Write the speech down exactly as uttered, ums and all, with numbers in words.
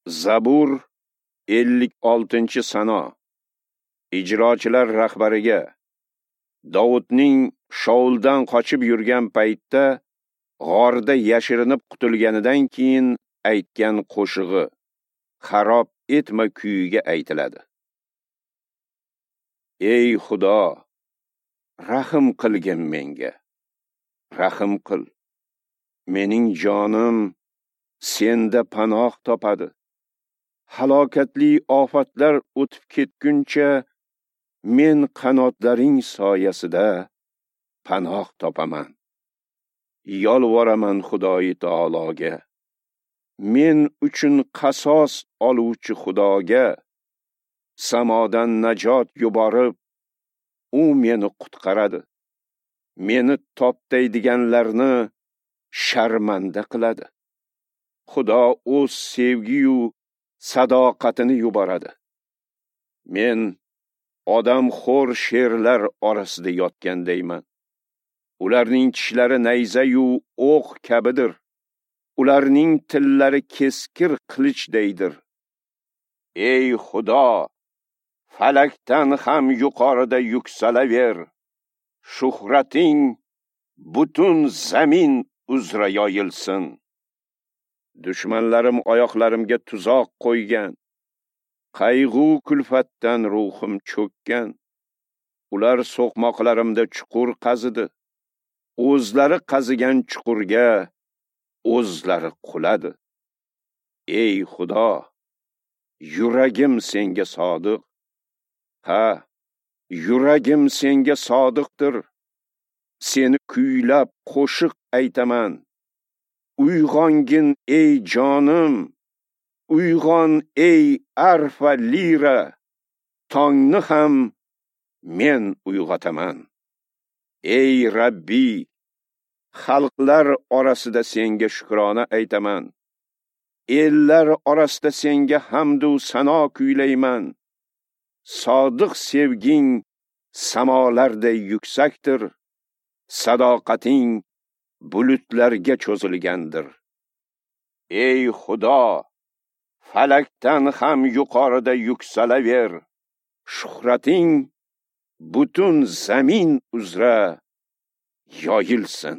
Zabur ellik oltinchi sano. Ijrochilar rahbariga Davudning Shauldan qochib yurgan paytda g'orda yashirinib qutulganidan keyin aytgan qo'shig'i Xarob etma kuyiga aytiladi. Ey Xudo, rahm qilgin menga. Rahm qil. Mening jonim senda panoh topadi. Halokatli ofatlar o'tib ketguncha men qanotlaring soyasida panoh topaman. Yolvoraman Xudoyi taologa. Men uchun qasos oluvchi Xudoga samodan najot yuborib, u meni qutqaradi. Meni toptaydiganlarni sharmanda qiladi. Xudo o'z sevgiyu sadoqatini yuboradi. Men odamxo'r sherlar orasida yotgandayman. Ularning tishlari nayza-yu o'q kabidir. Ularning tillari keskir qilichdaydir. Ey Xudo, falakdan ham yuqorida yuksalaver. Shuhrating butun zamin uzra yoyilsin. Dushmanlarim oyoqlarimga tuzoq qo'ygan. Qayg'u kulfatdan ruhim cho'kkan. Ular so'qmoqlarimda chuqur qazidi. O'zlari qazigan chuqurga o'zlari quladi. Ey Xudo, yuragim senga sodiq. Ha, yuragim senga sodiqdir. Seni kuylab qo'shiq aytaman. Uyg'ongin ey jonim, uyg'on ey arfa lira, tongni ham men uyg'otaman. Ey Rabbi, xalqlar orasida senga shukrona aytaman. Ellar orasida senga hamd u sano kuylayman. Sodiq sevging samolarday yuksakdir. Sadoqating bulutlarga cho'zilgandir. Ey Xudo, falakdan ham yuqorida yuksalaver. Shuhrating butun zamin uzra yoyilsin.